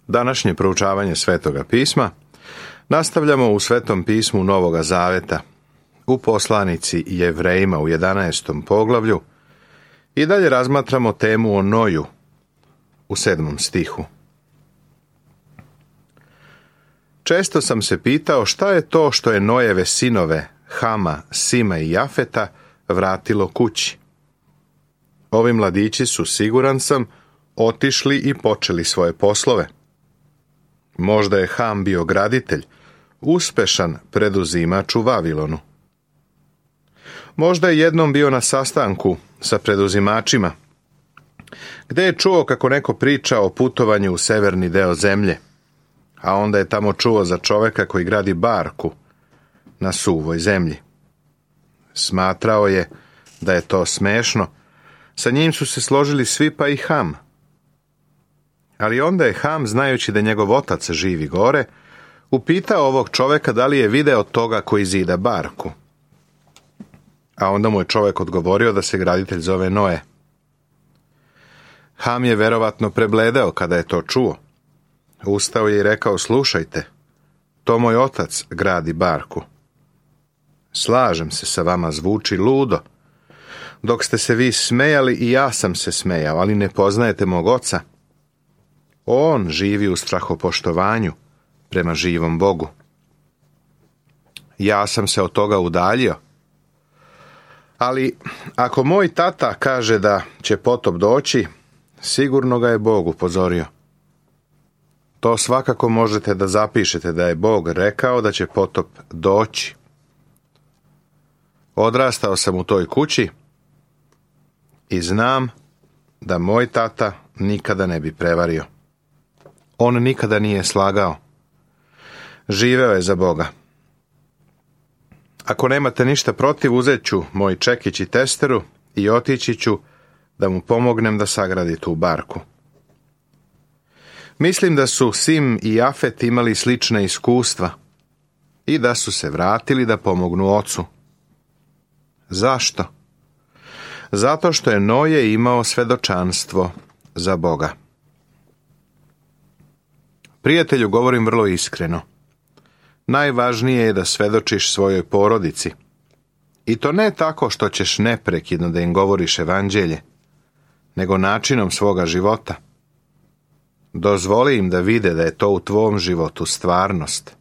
Današnje proučavanje Svetoga pisma nastavljamo u Svetom pismu Novoga Zaveta, u poslanici Jevrejima u 11. poglavlju i dalje razmatramo temu o Noju u 7. stihu. Često sam se pitao šta je to što je Nojeve sinove Hama, Sima i Jafeta vratilo kući. Ovi mladići su, siguran sam, otišli i počeli svoje poslove. Možda je Ham bio graditelj, uspešan preduzimač u Vavilonu. Možda je jednom bio na sastanku sa preduzimačima, gde je čuo kako neko priča o putovanju u severni deo zemlje, a onda je tamo čuo za čoveka koji gradi barku na suvoj zemlji. Smatrao je da je to smešno, sa njim su se složili svi pa i Ham. Ali onda je Ham, znajući da njegov otac živi gore, upitao ovog čoveka da li je video toga koji zida barku. A onda mu je čovek odgovorio da se graditelj zove Noe. Ham je verovatno prebledeo kada je to čuo. Ustao je i rekao: slušajte, to moj otac gradi barku. Slažem se sa vama, zvuči ludo. Dok ste se vi smejali i ja sam se smejao, ali ne poznajete mog oca. On živi u strahopoštovanju prema živom Bogu. Ja sam se od toga udaljio. Ali ako moj tata kaže da će potop doći, sigurno ga je Bog upozorio. To svakako možete da zapišete, da je Bog rekao da će potop doći. Odrastao sam u toj kući i znam da moj tata nikada ne bi prevario. On nikada nije slagao. Živeo je za Boga. Ako nemate ništa protiv, uzet ću moj čekić i testeru i otići ću da mu pomognem da sagradi tu barku. Mislim da su Sim i Jafet imali slična iskustva i da su se vratili da pomognu ocu. Zašto? Zato što je Noje imao svedočanstvo za Boga. Prijatelju, govorim vrlo iskreno. Najvažnije je da svedočiš svojoj porodici. I to ne tako što ćeš neprekidno da im govoriš evanđelje, nego načinom svoga života. Dozvoli im da vide da je to u tvom životu stvarnost.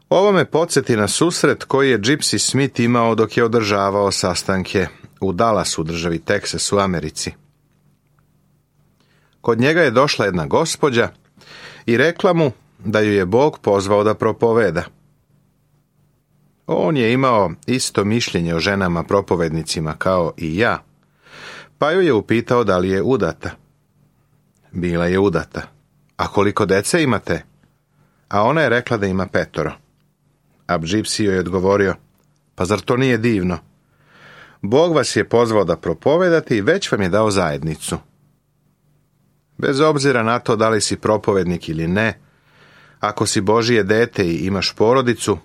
Ovo me podsjeti na susret koji je Gypsy Smith imao dok je održavao sastanke u Dallasu, državi Teksas u Americi. Kod njega je došla jedna gospođa i rekla mu da ju je Bog pozvao da propoveda. On je imao isto mišljenje o ženama propovednicima kao i ja, pa ju je upitao da li je udata. Bila je udata. A koliko dece imate? A ona je rekla da ima 5. A Gypsy joj je odgovorio: pa zar to nije divno? Bog vas je pozvao da propovedate i već vam je dao zajednicu. Bez obzira na to da li si propovednik ili ne, ako si Božije dete i imaš porodicu,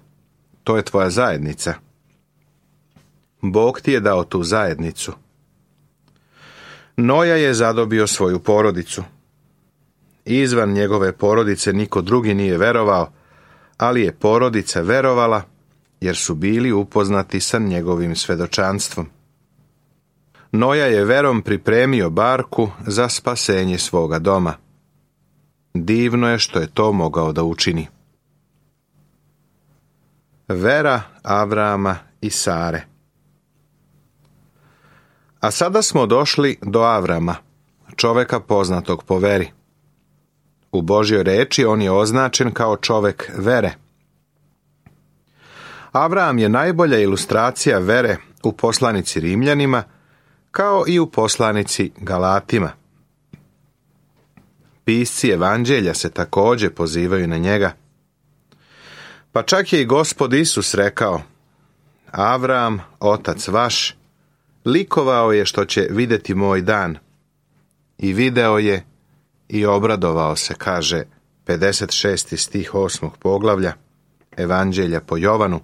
to je tvoja zajednica. Bog ti je dao tu zajednicu. Noja je zadobio svoju porodicu. Izvan njegove porodice niko drugi nije verovao, ali je porodica verovala jer su bili upoznati sa njegovim svedočanstvom. Noja je verom pripremio barku za spasenje svoga doma. Divno je što je to mogao da učini. Vera Avrama i Sare. A sada smo došli do Avrama, čoveka poznatog po veri. U Božjoj reči on je označen kao čovek vere. Avram je najbolja ilustracija vere u poslanici Rimljanima, kao i u poslanici Galatima. Pisci evanđelja se također pozivaju na njega. Pa čak je i Gospod Isus rekao: Avram, otac vaš, likovao je što će vidjeti moj dan. I video je i obradovao se, kaže 56. stih 8. poglavlja Evanđelja po Jovanu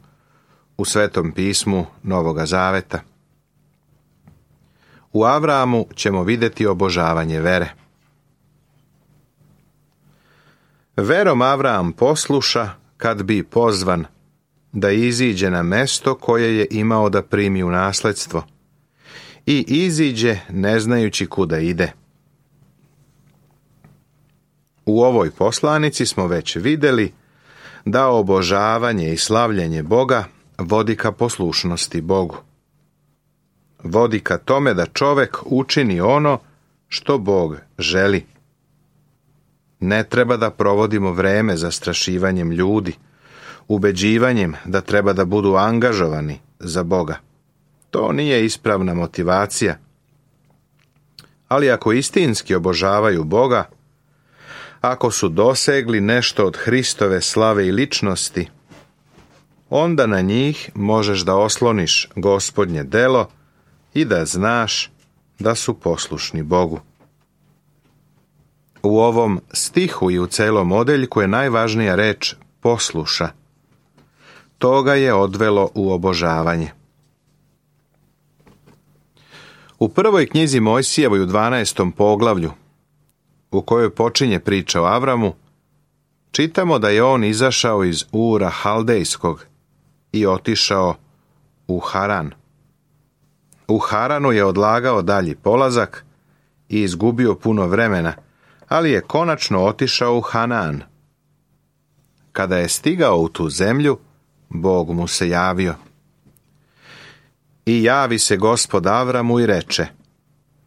u Svetom pismu Novoga Zaveta. U Avramu ćemo vidjeti obožavanje vere. Verom Avram posluša kad bi pozvan da iziđe na mesto koje je imao da primi u nasledstvo i iziđe ne znajući kuda ide. U ovoj poslanici smo već vidjeli da obožavanje i slavljenje Boga vodi ka poslušnosti Bogu. Vodi ka tome da čovek učini ono što Bog želi. Ne treba da provodimo vreme zastrašivanjem ljudi, ubeđivanjem da treba da budu angažovani za Boga. To nije ispravna motivacija. Ali ako istinski obožavaju Boga, ako su dosegli nešto od Hristove slave i ličnosti, onda na njih možeš da osloniš Gospodnje delo i da znaš da su poslušni Bogu. U ovom stihu i u celom odeljku je najvažnija reč posluša. To ga je odvelo u obožavanje. U prvoj knjizi Mojsijevoj u 12. poglavlju, u kojoj počinje priča o Avramu, čitamo da je on izašao iz Ura Haldejskog i otišao u Haran. U Haranu je odlagao dalji polazak i izgubio puno vremena, ali je konačno otišao u Hanan. Kada je stigao u tu zemlju, Bog mu se javio. I javi se Gospod Avramu i reče: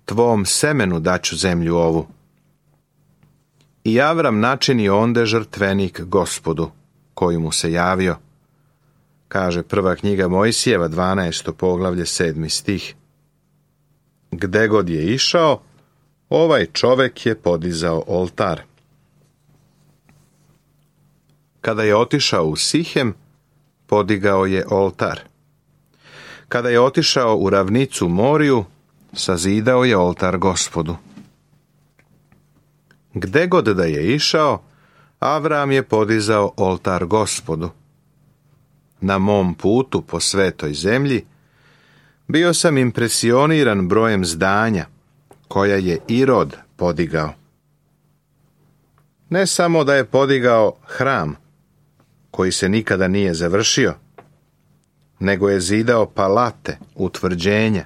tvom semenu daću zemlju ovu. I Avram načini onde žrtvenik Gospodu, koji mu se javio. Kaže prva knjiga Mojsijeva, 12. poglavlje, 7. stih. Gde god je išao, ovaj čovek je podizao oltar. Kada je otišao u Sihem, podigao je oltar. Kada je otišao u ravnicu Moriju, sazidao je oltar Gospodu. Gde god da je išao, Avram je podizao oltar Gospodu. Na mom putu po svetoj zemlji bio sam impresioniran brojem zdanja koja je Irod podigao. Ne samo da je podigao hram, koji se nikada nije završio, nego je zidao palate, utvrđenja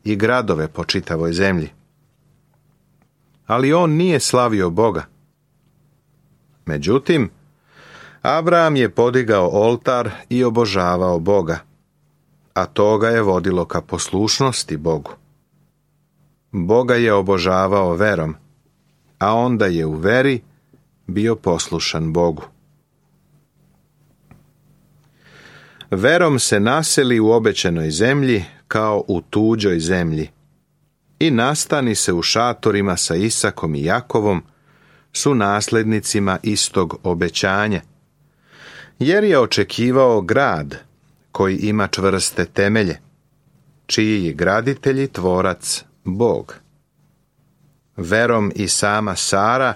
i gradove po čitavoj zemlji. Ali on nije slavio Boga. Međutim, Abraham je podigao oltar i obožavao Boga, a to ga je vodilo ka poslušnosti Bogu. Boga je obožavao verom, a onda je u veri bio poslušan Bogu. Verom se naseli u obećanoj zemlji kao u tuđoj zemlji i nastani se u šatorima sa Isakom i Jakovom, su naslednicima istog obećanja, jer je očekivao grad koji ima čvrste temelje, čiji je graditelj i tvorac Bog. Verom i sama Sara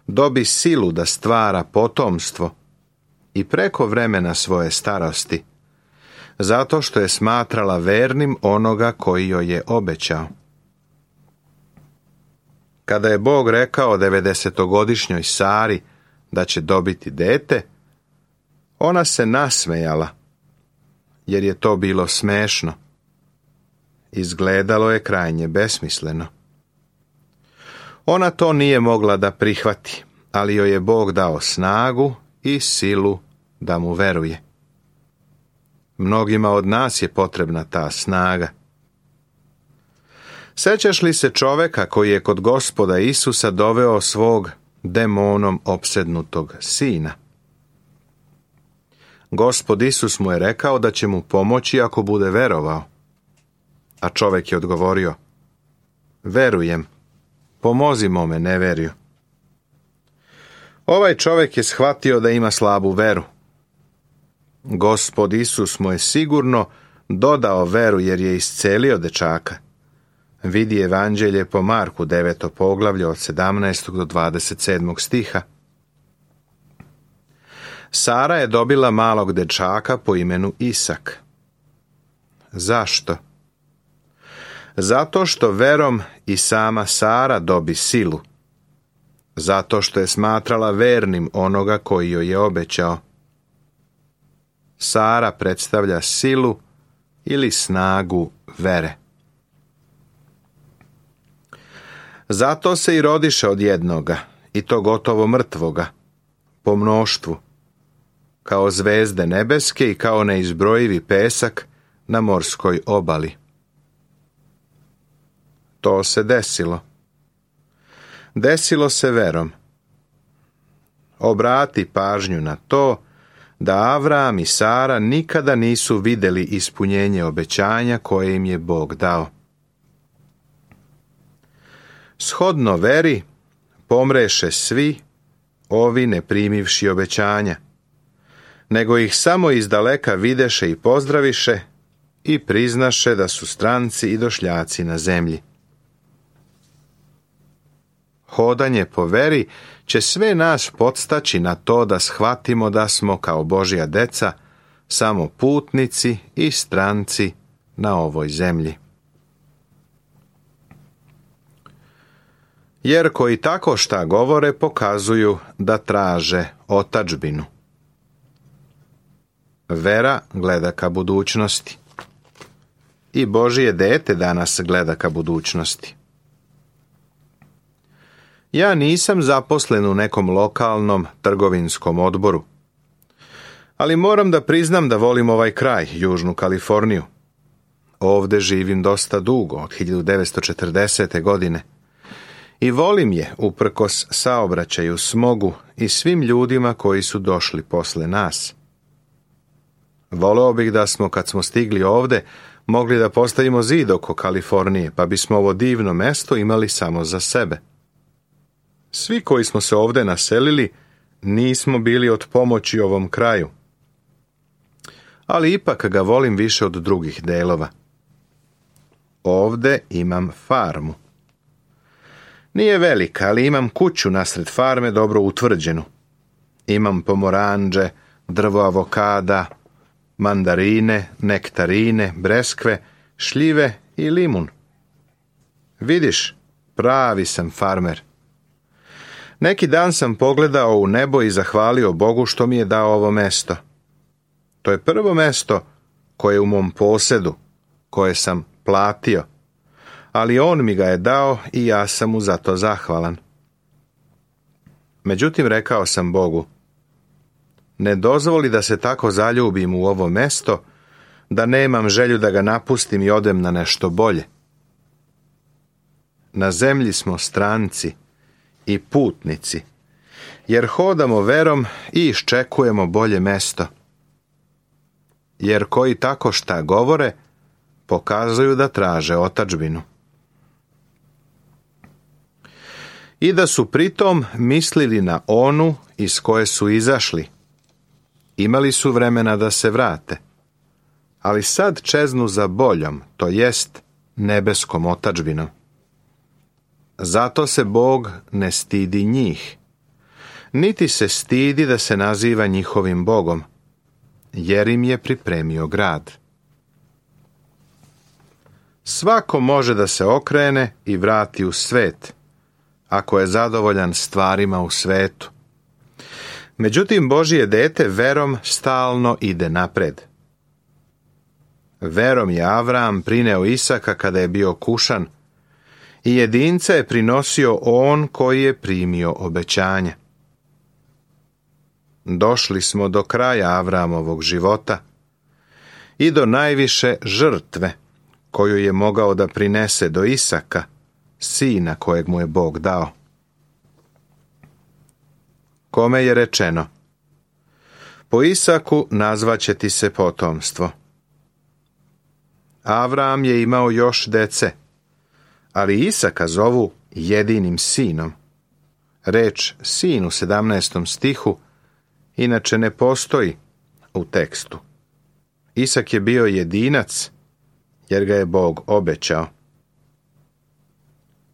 dobi silu da stvara potomstvo i preko vremena svoje starosti, zato što je smatrala vernim onoga koji joj je obećao. Kada je Bog rekao 90-godišnjoj Sari da će dobiti dete, ona se nasmejala, jer je to bilo smešno. Izgledalo je krajnje besmisleno. Ona to nije mogla da prihvati, ali joj je Bog dao snagu i silu da mu veruje. Mnogima od nas je potrebna ta snaga. Sećaš li se čoveka koji je kod Gospoda Isusa doveo svog demonom opsednutog sina? Gospod Isus mu je rekao da će mu pomoći ako bude verovao. A čovek je odgovorio: verujem, pomozi mome neverju. Ovaj čovek je shvatio da ima slabu veru. Gospod Isus mu je sigurno dodao veru jer je iscelio dečaka. Vidi Evanđelje po Marku 9. poglavlje od 17. do 27. stiha. Sara je dobila malog dečaka po imenu Isak. Zašto? Zato što verom i sama Sara dobi silu. zato što je smatrala vernim onoga koji joj je obećao. Sara predstavlja silu ili snagu vere. Zato se i rodiše od jednoga, i to gotovo mrtvoga, po mnoštvu, kao zvezde nebeske i kao neizbrojivi pesak na morskoj obali. To se desilo. Desilo se verom. Obrati pažnju na to da Avram i Sara nikada nisu vidjeli ispunjenje obećanja koje im je Bog dao. Shodno veri pomreše svi ovi ne primivši obećanja, nego ih samo izdaleka videše i pozdraviše i priznaše da su stranci i došljaci na zemlji. Hodanje po veri će sve nas podstaći na to da shvatimo da smo kao Božja deca samo putnici i stranci na ovoj zemlji. Jer koji tako šta govore pokazuju da traže otadžbinu. Vera gleda ka budućnosti. I Božje dete danas gleda ka budućnosti. Ja nisam zaposlen u nekom lokalnom trgovinskom odboru, ali moram da priznam da volim ovaj kraj, Južnu Kaliforniju. Ovde živim dosta dugo, od 1940. godine. I volim je uprkos saobraćaju, smogu i svim ljudima koji su došli posle nas. Voleo bih da smo, kad smo stigli ovde, mogli da postavimo zid oko Kalifornije, pa bismo ovo divno mesto imali samo za sebe. Svi koji smo se ovde naselili nismo bili od pomoći ovom kraju, ali ipak ga volim više od drugih delova. Ovde imam farmu. Nije velika, ali imam kuću nasred farme dobro utvrđenu. Imam pomoranđe, drvo avokada, mandarine, nektarine, breskve, šljive i limun. Vidiš, pravi sam farmer. Neki dan sam pogledao u nebo i zahvalio Bogu što mi je dao ovo mesto. To je prvo mesto koje je u mom posedu, koje sam platio, ali on mi ga je dao i ja sam mu za to zahvalan. Međutim, rekao sam Bogu, ne dozvoli da se tako zaljubim u ovo mesto, da nemam želju da ga napustim i odem na nešto bolje. Na zemlji smo stranci i putnici, jer hodamo verom i iščekujemo bolje mesto. Jer koji tako šta govore, pokazuju da traže otadžbinu. I da su pritom mislili na onu iz koje su izašli. Imali su vremena da se vrate, ali sad čeznu za boljom, to jest nebeskom otadžbinom. Zato se Bog ne stidi njih, niti se stidi da se naziva njihovim Bogom, jer im je pripremio grad. Svako može da se okrene i vrati u svet, ako je zadovoljan stvarima u svetu. Međutim, Božje dete verom stalno ide napred. Verom je Avram prineo Isaka kada je bio kušan, i jedinca je prinosio on koji je primio obećanje. Došli smo do kraja Avramovog života i do najviše žrtve koju je mogao da prinese do Isaka, sina kojeg mu je Bog dao. Kome je rečeno, po Isaku nazvaće ti se potomstvo. Avram je imao još dece, ali Isaka zovu jedinim sinom. Reč sin u 17. stihu inače ne postoji u tekstu. Isak je bio jedinac, jer ga je Bog obećao.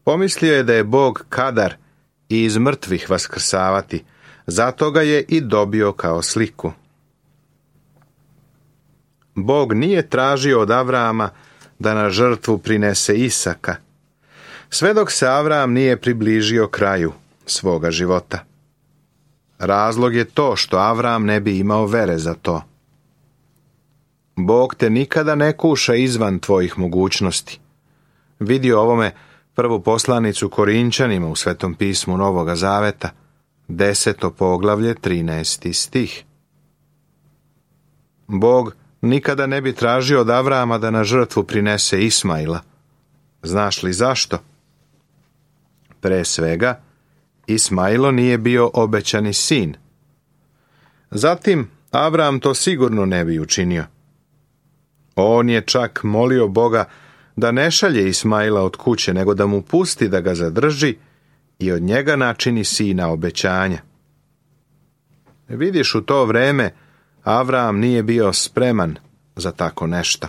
Pomislio je da je Bog kadar i iz mrtvih vaskrsavati, zato ga je i dobio kao sliku. Bog nije tražio od Avrama da na žrtvu prinese Isaka, sve dok se Avram nije približio kraju, svoga života. Razlog je to što Avram ne bi imao vere za to. Bog te nikada ne kuša izvan tvojih mogućnosti. Vidi ovome prvu poslanicu Korinčanima u Svetom pismu Novoga Zaveta, 10. poglavlje, 13. stih. Bog nikada ne bi tražio od Avrama da na žrtvu prinese Ismaila. Znaš li zašto? Pre svega, Ismailo nije bio obećani sin. Zatim, Avram to sigurno ne bi učinio. On je čak molio Boga da ne šalje Ismaila od kuće, nego da mu pusti da ga zadrži i od njega načini sina obećanja. Vidiš, u to vreme Avram nije bio spreman za tako nešto.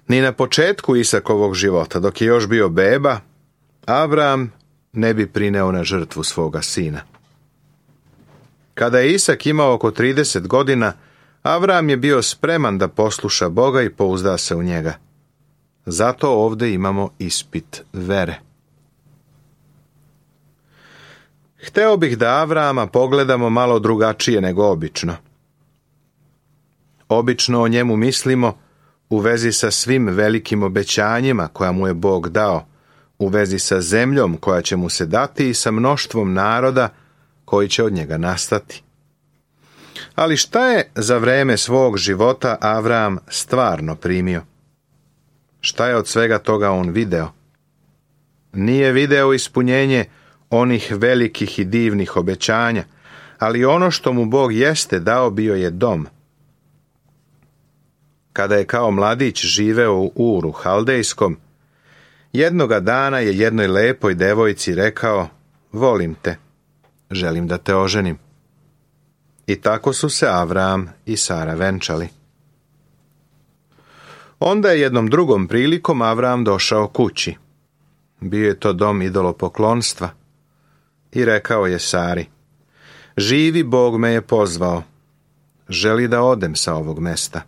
Ni na početku Isakovog života, dok je još bio beba, Avram ne bi prineo na žrtvu svoga sina. Kada je Isak imao oko 30 godina, Avram je bio spreman da posluša Boga i pouzda se u njega. Zato ovdje imamo ispit vere. Hteo bih da Avrama pogledamo malo drugačije nego obično. Obično o njemu mislimo u vezi sa svim velikim obećanjima koja mu je Bog dao, u vezi sa zemljom koja će mu se dati i sa mnoštvom naroda koji će od njega nastati. Ali šta je za vreme svog života Avram stvarno primio? Šta je od svega toga on video? Nije video ispunjenje onih velikih i divnih obećanja, ali ono što mu Bog jeste dao bio je dom. Kada je kao mladić živeo u Uru Haldejskom, jednoga dana je jednoj lepoj devojci rekao: volim te, želim da te oženim. I tako su se Avram i Sara venčali. Onda je jednom drugom prilikom Avram došao kući. Bio je to dom idolopoklonstva. I rekao je Sari: živi Bog me je pozvao. Želi da odem sa ovog mesta.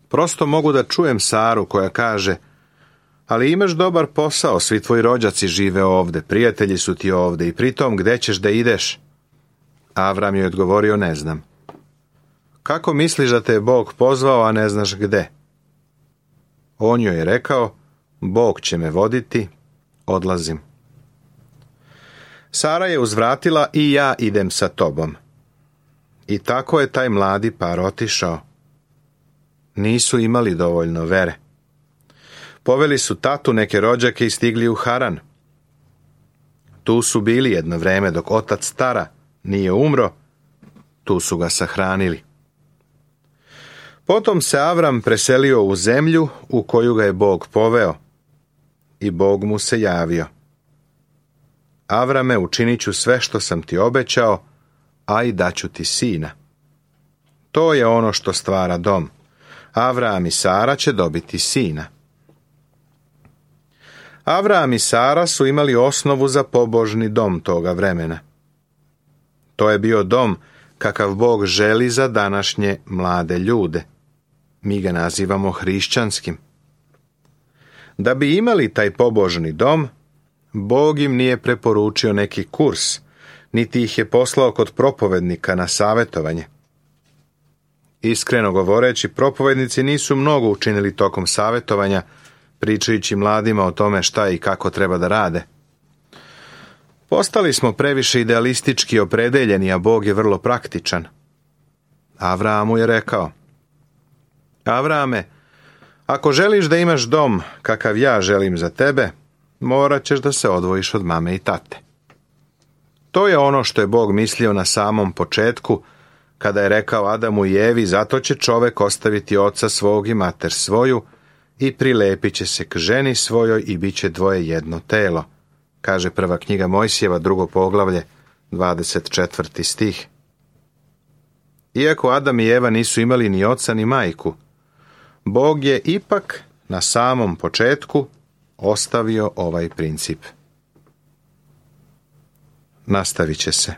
Prosto mogu da čujem Saru koja kaže: ali imaš dobar posao, svi tvoji rođaci žive ovde, prijatelji su ti ovde i pritom gde ćeš da ideš? Avram je odgovorio: ne znam. Kako misliš da te je Bog pozvao, a ne znaš gde? On joj je rekao: Bog će me voditi, odlazim. Sara je uzvratila: i ja idem sa tobom. I tako je taj mladi par otišao. Nisu imali dovoljno vere. Poveli su tatu, neke rođake i stigli u Haran. Tu su bili jedno vreme dok otac Tara nije umro, tu su ga sahranili. Potom se Avram preselio u zemlju u koju ga je Bog poveo i Bog mu se javio: Avrame, učinit ću sve što sam ti obećao, a i daću ti sina. To je ono što stvara dom. Avram i Sara će dobiti sina. Avram i Sara su imali osnovu za pobožni dom toga vremena. To je bio dom kakav Bog želi za današnje mlade ljude. Mi ga nazivamo hrišćanskim. Da bi imali taj pobožni dom, Bog im nije preporučio neki kurs, niti ih je poslao kod propovednika na savjetovanje. Iskreno govoreći, propovednici nisu mnogo učinili tokom savjetovanja, pričajući mladima o tome šta i kako treba da rade. Postali smo previše idealistički opredeljeni, a Bog je vrlo praktičan. Avramu je rekao: Avrame, ako želiš da imaš dom kakav ja želim za tebe, morat ćeš da se odvojiš od mame i tate. To je ono što je Bog mislio na samom početku, kada je rekao Adamu i Evi: zato će čovek ostaviti oca svog i mater svoju i prilepit će se k ženi svojoj i bit će dvoje jedno telo, kaže prva knjiga Mojsijeva, 2. poglavlje, 24. stih. Iako Adam i Eva nisu imali ni oca ni majku, Bog je ipak na samom početku ostavio ovaj princip. Nastavit će se.